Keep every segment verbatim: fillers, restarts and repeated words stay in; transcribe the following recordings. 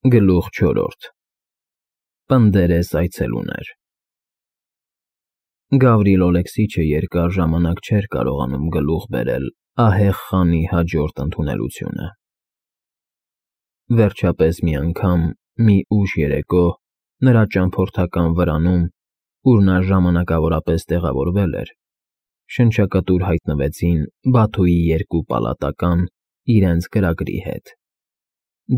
Գլուխ չորրորդ Պնդերես այցելուներ Գավրիլ Օլեքսիչը երկար ժամանակ չէր կարողանում գլուխ բերել ահեղ խանի հաջորդ ընդունելությունը։ Վերջապես մի անգամ, մի ուշ երեկո, նրա ճամփորդական վրանում, ուր նա ժամանակավորապես տեղավորվել էր, շնչակտուր հայտնվեցին Բաթուի երկու պալատական իրենց կրակրի հետ։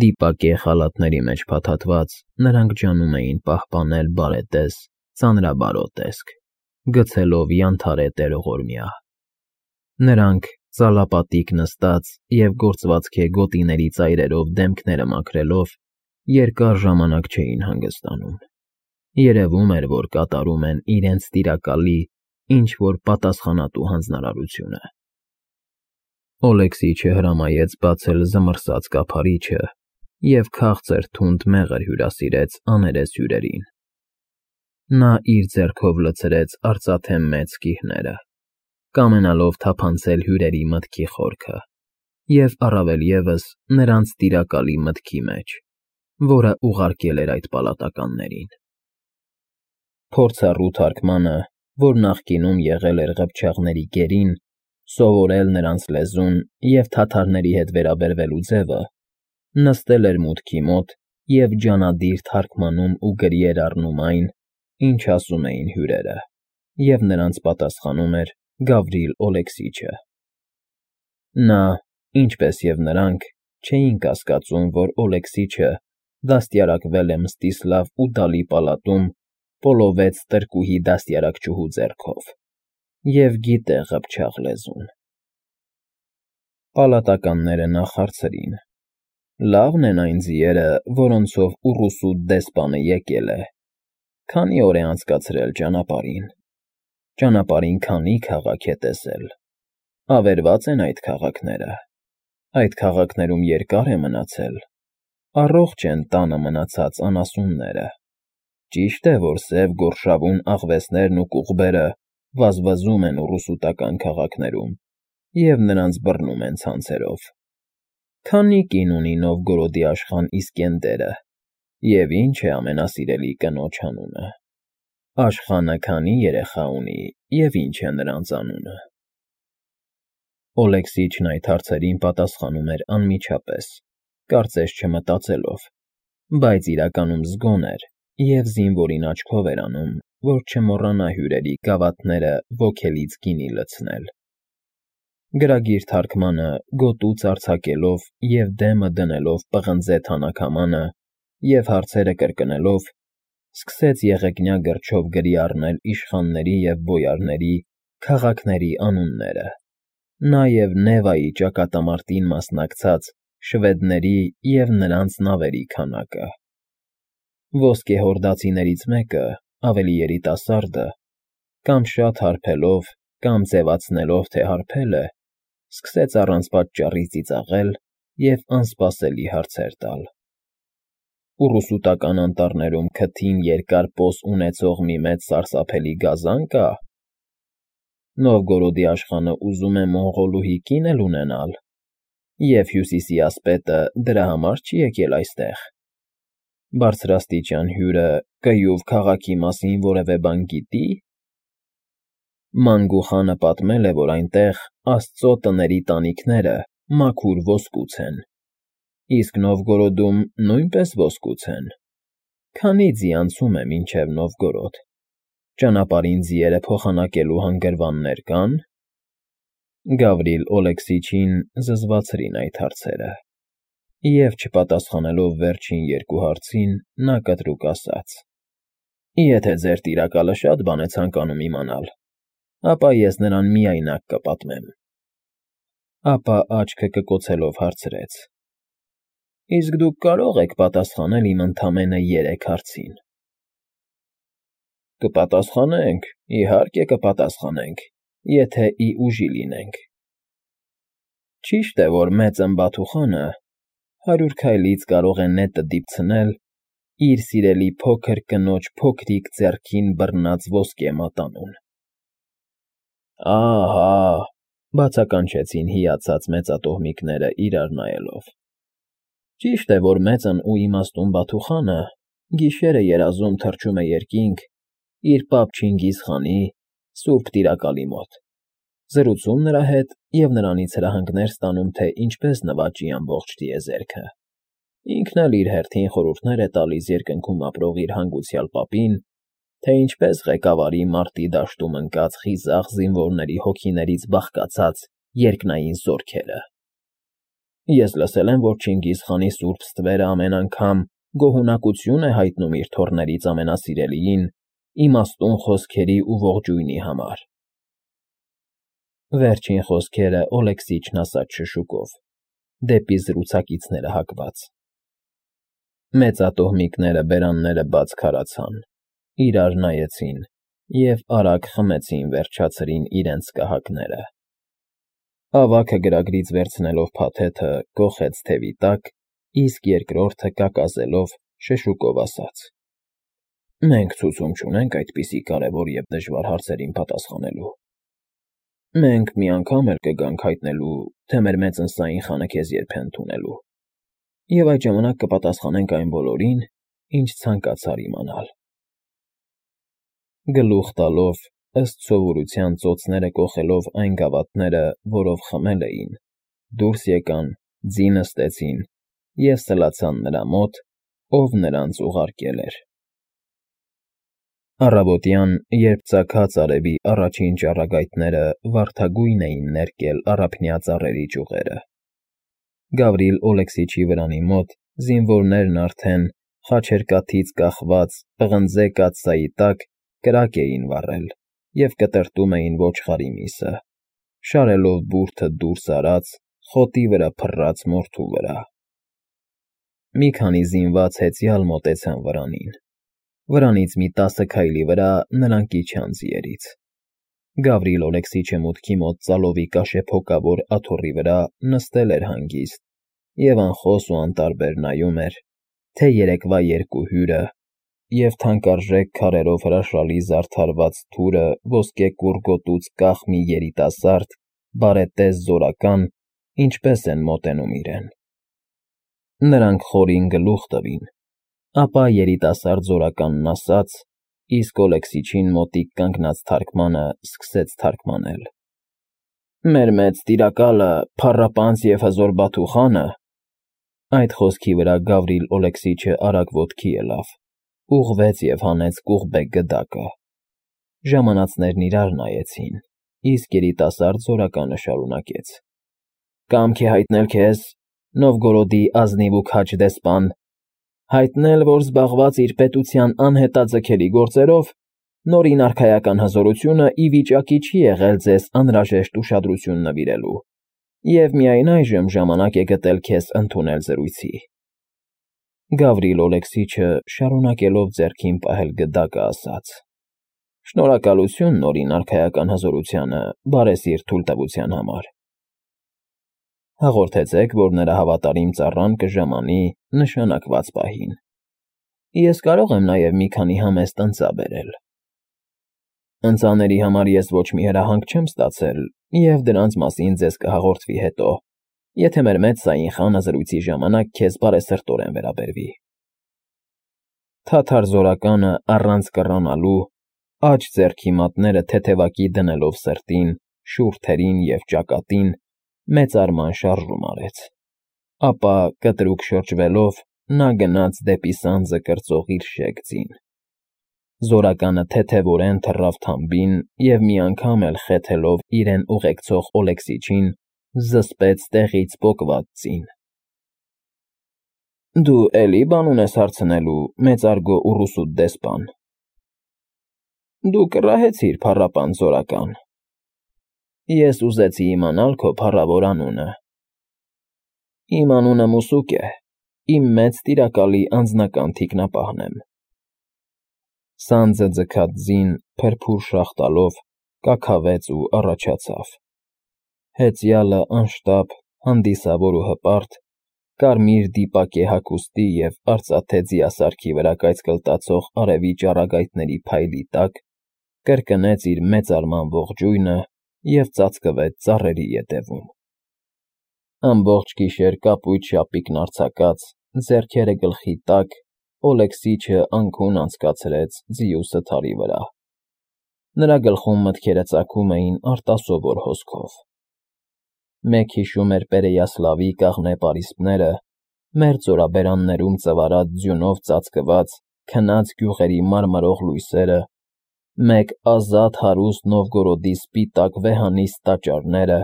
Դիպակե խալաթների մեջ փաթաթված, նրանք ջանում էին պահպանել բարետես, ծանրաբարոտ տեսք, գցելով յանթարե տերողորմյա։ Նրանք, ծալապատիկ նստած և գործվածքե գոտիների ծայրերով դեմքները մաքրելով, երկար ժամանակ չէին հանգստանում։ Երևում էր, որ կատարում են իրենց տիրակալի ինչ-որ պատասխանատու հանձնարարությունը։ Օլեքսիչը հրամայեց բացել զմռսած կափարիչը և քաղցր թունդ մեղր հյուրասիրեց աներես հյուրերին։ Նա իր ձեռքով լցրեց արծաթե մեծ կիհները, կամենալով թափանցել հյուրերի մտքի խորքը և, առավել ևս, նրանց տիրակալի մտքի մեջ, որը ուղարկել էր այդ պալատականներին։ Փորձառու թարգմանը, որ նախկինում եղել էր ղփչաղների գերին, սովորել նրանց լեզուն և թաթարների հետ վերաբերվելու ձևը, նստել էր մուտքի մոտ և ջանադիր թարմգանում ու գրի էր առնում այն, ինչ ասում էին հյուրերը, և նրանց պատասխանում էր Գավրիլ Օլեքսիչը։ Նա, ինչպես և նրանք, չէին կասկածում, որ Օլեքսիչը դաստիարակվել է Մստիսլավ Ուդալի պալատում պոլովեց տրկուհի դաստիարակչուհու ձեռքով և գիտե ղփչաղ լեզուն։ Պալատականները նախ հարցրին. «Լավն են այն ձիերը, որոնցով ուռուսու դեսպանը եկել է, քանի՞ օր է անցկացրել ճանապարհին, ճանապարհին քանի՞ քաղաք է տեսել, ավերվա՞ծ են այդ քաղաքները, այդ քաղաքներում երկա՞ր է մնացել, առողջ են տանը մնացած անասունները, ճի՞շտ է, որ սև գորշավուն աղվեսներն ու կուղբերը վազվզում են ուռուսուտական քաղաքներում և նրանց բռնում են ցանցերով, քանի՞ կին ունի Նովգորոդի աշխան Իսկենդերը և ի՞նչ է ամենասիրելի կնոջ անունը, աշխանը քանի՞ երեխա ունի և ի՞նչ է նրանց անունը»։ Օլեքսիչն այդ հարցերին պատասխանում էր անմիջապես, կարծես չմտածելով, բայց իրականում զգոն էր և զինվորին աչքով էր անում, որ չմոռանա հյուրերի գավաթները ոգելից գինի լցնել։ Գրագիր թարգմանը, գոտուց արձակելով և դեմը դնելով պղնձե թանաքամանը և հարցերը կրկնելով, սկսեց եղեգնյա գրչով գրի առնել իշխանների և բոյարների, քաղաքների անունները, նաև Նևայի ճակատամարտին մասնակցած շվեդների և նրանց նավերի քանակը։ Ոսկեհորդացիներից մեկը, ավելի երիտասարդը, կամ շատ հարբելով, կամ ձևացնելով, թե հարբել է, սկսեց առանց պատճառի ծիծաղել և անսպասելի հարցեր տալ. «Ուռուսուտական անտառներում քթին երկար պոս ունեցող մի մեծ սարսափելի գազա՞ն կա։ Նովգորոդի աշխանը ուզում է մոնղոլուհի կին էլ ունենալ, և Հյուսիսի ասպետը դրա համար չի եկել այստեղ։ Բարձրաստիճան հյուրը կիուվ քաղաքի մասին որևէ բան գիտի՞։ Մանգու խանը պատմել է, որ այնտեղ աստծո տների տանիքները մաքուր ոսկուց են, իսկ Նովգորոդում նույնպես ոսկուց են։ Քանի՞ ձի անցում է մինչև Նովգորոդ, ճանապարհին ձիերը փոխանակելու հանգրվաննե՞ր կան»։ Գավրիլ Օլեքսիչին զզվացրին այդ հարցերը, և, չպատասխանելով վերջին երկու հարցին, նա կտրուկ ասաց. «Եթե ձեր տիրակալը շատ բան է ցանկանում իմանալ, ապա ես նրան միայնակ կպատմեմ»։ Ապա աչքը կկոցելով հարցրեց. «Իսկ դուք կարո՞ղ եք պատասխանել իմ ընդամենը երեք հարցին»։ «Կպատասխանենք, իհարկե կպատասխանենք, եթե ի ուժի լինենք։ Ճի՞շտ է, որ Մեծն Բաթուխանը հարյուր քայլից կարող է նետը դիպցնել իր սիրելի փոքր կնոջ փոքրիկ ձեռքին բռնած ոսկե մատանուն»։ «Ահա՜», բացականչեցին հիացած մեծատոհմիկները իրար նայելով։ Ճիշտ է, որ մեծն ու իմաստուն Բաթուխանը գիշերը երազում թռչում է երկինք իր պապ Չինգիզ խանի սուրբ տիրակալի մոտ, զրուցում նրա հետ և նրանից հրահանգներ ստանում, թե ինչպես նվաճի ամբողջ տիեզերքը։ Ինքն էլ իր հերթին խորհուրդներ է տալիս երկնքում ապրող իր հանգուցյալ պապին, թե ինչպես ղեկավարի մարտի դաշտում ընկած խիզախ զինվորների հոգիներից բաղկացած երկնային զորքերը։ Ես լսել եմ, որ Չինգիզ խանի սուրբ ստվերը ամեն անգամ գոհունակություն է հայտնում իր թոռներից ամենասիրելիին իմաստուն խոսքերի ու ողջույնի համար։ Վերջին խոսքերը Օլեքսիչն ասաց շշուկով, դեպի զրուցակիցները հակված։ Մեծատոհմիկները բերանները բաց քարացան, իրար նայեցին և արագ խմեցին վերջացրին իրենց կահակները։ Ավագը գրագրից վերցնելով փաթեթը կոխեց թևի տակ, իսկ երկրորդը կակազելով շշուկով ասաց. «Մենք ցուցում չունենք այդպիսի կարևոր և դժվար հարցերին պատասխանելու։ Մենք մի անգամ էլ կգանք հայտնելու, թե մեր մեծընսային խանը քեզ երբ է ընդունելու, և այդ ժամանակ կպատասխանենք այն բոլորին, ինչ ցանկացար իմանալ»։ Գլուխ տալով, ըստ սովորության ծոցները կոխելով այն գավաթները, որով խմել էին, դուրս եկան, ձի նստեցին և սլացան նրա մոտ, ով նրանց ուղարկել էր։ Առավոտյան, երբ ծագած արևի առաջին ճառագայթները վարդագույն էին ներկել առափնյա ծառերի ճյուղերը, Գավրիլ Օլեքսիչի վրանի մոտ զինվորներն արդեն խաչերկաթից կախված պղնձե կաթսայի տակ կրակ էին վառել և կտրտում էին ոչխարի միսը, շարելով բուրդը դուրս արած, խոտի վրա փռած մորթու վրա։ Մի քանի զինված հեծյալ մոտեցան վրանին։ Վրանից մի տասը քայլի վրա նրանք իջան ձիերից։ Գավրիլ Օլեքսիչը մուտքի մոտ ծալովի կաշեփոկավոր աթոռի վրա նստել էր հանգիստ և անխոս ու անտարբեր նայում էր, թե երեկվա երկու հյուրը և թանկարժեք քարերով հրաշալի զարդարված թուրը ոսկեկուռ գոտուց կախ մի երիտասարդ, բարետես զորական ինչպես են մոտենում իրեն։ Նրանք խորին գլուխ տվին, ապա երիտասարդ զորականն ասաց, իսկ Օլեքսիչին մոտիկ կանգնած թարգմանը սկսեց թարգմանել. «Մեր մեծ տիրակալը, փառապանծ և հզոր Բաթուխանը…» Այդ խոսքի վրա Գավրիլ Օլեքսիչը արագ ոտքի ելավ, ուղղվեց և հանեց կուղբե գդակը։ Ժամանածներն իրար նայեցին, իսկ երիտասարդ զորականը շարունակեց. «Կամք է հայտնել քեզ, Նովգորոդի ազնիվ ու քաջ դեսպան, հայտնել, որ զբաղված իր պետության անհետաձգելի գործերով, նորին արքայական հզորությունը ի վիճակի չի եղել ձեզ անհրաժեշտ ուշադրություն նվիրելու, և միայն այժմ ժամանակ է գտել քեզ ընդունել զրույցի»։ Գավրիլ Օլեքսիչը, շարունակելով ձեռքին պահել գդակը, ասաց. «Շնորհակալություն նորին արքայական հզորությանը բարեսիրտ թույլտվության համար։ Հաղորդեցեք, որ նրա հավատարիմ ծառան կժամանի նշանակված պահին։ Ես կարող եմ նաև մի քանի համեստ ընծա բերել։ Ընծաների համար ես ոչ մի հրահանգ չեմ ստացել, և դրանց մասին ձեզ կհաղորդվի հետո, եթե մեր մեծսային խանը զրույցի ժամանակ քեզ բարեսրտորեն վերաբերվի»։ Թաթար զորականը առանց կռանալու, աջ ձեռքի մատները թեթևակի դնելով սրտին, շուրթերին և ճակատին, մեծարման շարժում արեց, ապա, կտրուկ շրջվելով, նա գնաց դեպի սանձը կրծող իր շեկ ձին։ Զորականը թեթևորեն թռավ թամբին և մի անգամ էլ խեթելով իրեն ուղեկցող Օլեքսիչին, զսպեց տեղից պոկված ձին։ «Դու էլի բան ունես հարցնելու, մեծարգո ուռուսուտ դեսպան»։ «Դու կռահեցիր, փառապանծ զորական»։ «Ես ուզեցի իմանալ քո փառավոր անունը»։ «Իմ անունը Մուսուկ է, իմ մեծ տիրակալի անձնական թիկնապահն եմ»։ Սանձը ձգած ձին, փրփուր շաղ տալով, կաքավեց ու առաջացավ։ Հեծյալը անշտապ, հանդիսավոր ու հպարտ, կարմիր դիպակե հագուստի և արծաթե ձիասարքի վրա կայծկլտացող արևի ճառագայթների փայլի տակ, կրկնեց իր մեծարման ողջույնը և ծածկվեց ծառերի ետևում։ Ամբողջ գիշեր կապույտ շապիկն արձակած, ձեռքերը գլխի տակ, Օլեքսիչը անքուն անցկացրեց ձիու սթարի վրա։ Նրա գլխում մտքերը ծագում էին արտասովոր հոսքով։ Մեկ հիշում էր Պերեյասլավի կաղնե պարիսպները, մեր ծորաբերաններում ծվարած ձյունով ծածկված քնած գյուղերի մարմարող լույսերը, մեկ ազատ հարուստ Նովգորոդի սպիտակ վեհանիստ տաճարները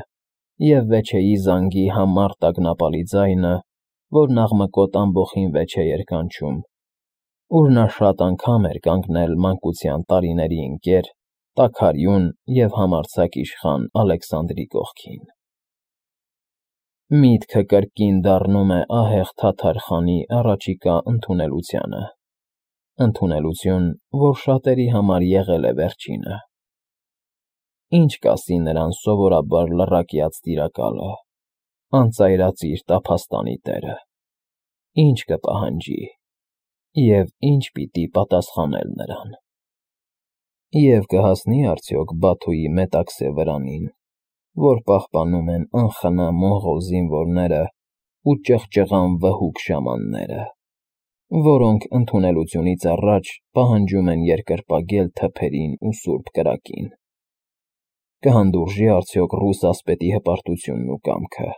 և վեչեի զանգի համառ տագնապալի ձայնը, որն աղմկոտ ամբոխին վեչ է երգանչում, ուր նա շատ անգամ էր կանգնել մանկության տարիների ընկեր, տաքարյուն և համարձակ իշխան Ալեքսանդրի կողքին։ Միտքը կրկին դառնում է ահեղ թաթար խանի առաջիկա ընդունելությանը, ընդունելություն, որ շատերի համար եղել է վերջինը։ Ինչ կասի նրան սովորաբար լռակյաց տիրակալը, անծայրածիր տափաստանի տերը, ինչ կպահանջի և ինչ պիտի պատասխանել նրան։ Եվ կհասնի՞ արդյոք Բաթուի մետաքսե վրանին, որ պահպանում են անխնա մոնղոլ զինվորները ու ճղճղան վհուկ շամանները, որոնք ընդունելությունից առաջ պահանջում են երկրպագել թփերին ու սուրբ կրակին։ Կհանդուրժի՞ արդյոք ռուս ասպետի հպարտությունն ու կամքը,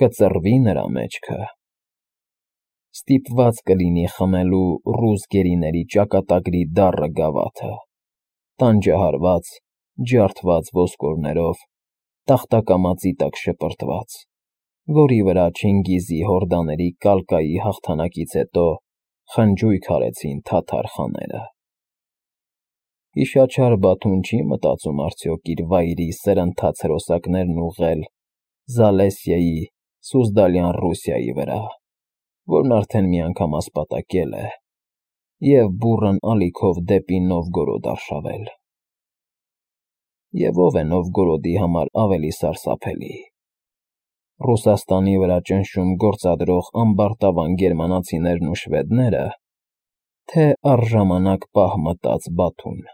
կծռվի՞ նրա մեջքը։ Ստիպված կլինի խմելու ռուս գերիների ճակատագրի դառը գավաթը, տանջահարված, ջարդված ոսկորներով, տախտակամածի տակ շպրտված, որի վրա Չինգիզի հորդաների կալկայի հաղթանակից հետո խնջույք արեցին թաթար խաները։ Հիշաչար Բաթուն չի՞ մտածում արդյոք իր վայրի սրընթաց հրոսակներն ուղղել Զալեսիայի, Սուզդալյան Ռուսիայի վրա, որն արդեն մի անգամ ասպատակել է, և բուռն ալիքով դեպի Նովգորոդ արշավել։ Եվ ո՞վ է Նովգորոդի համար ավելի սարսափելի՝ Ռուսաստանի վրա ճնշում գործադրող ամբարտավան գերմանացիներն ու շվեդնե՞րը, թե առժամանակ պահ մտած Բաթուն։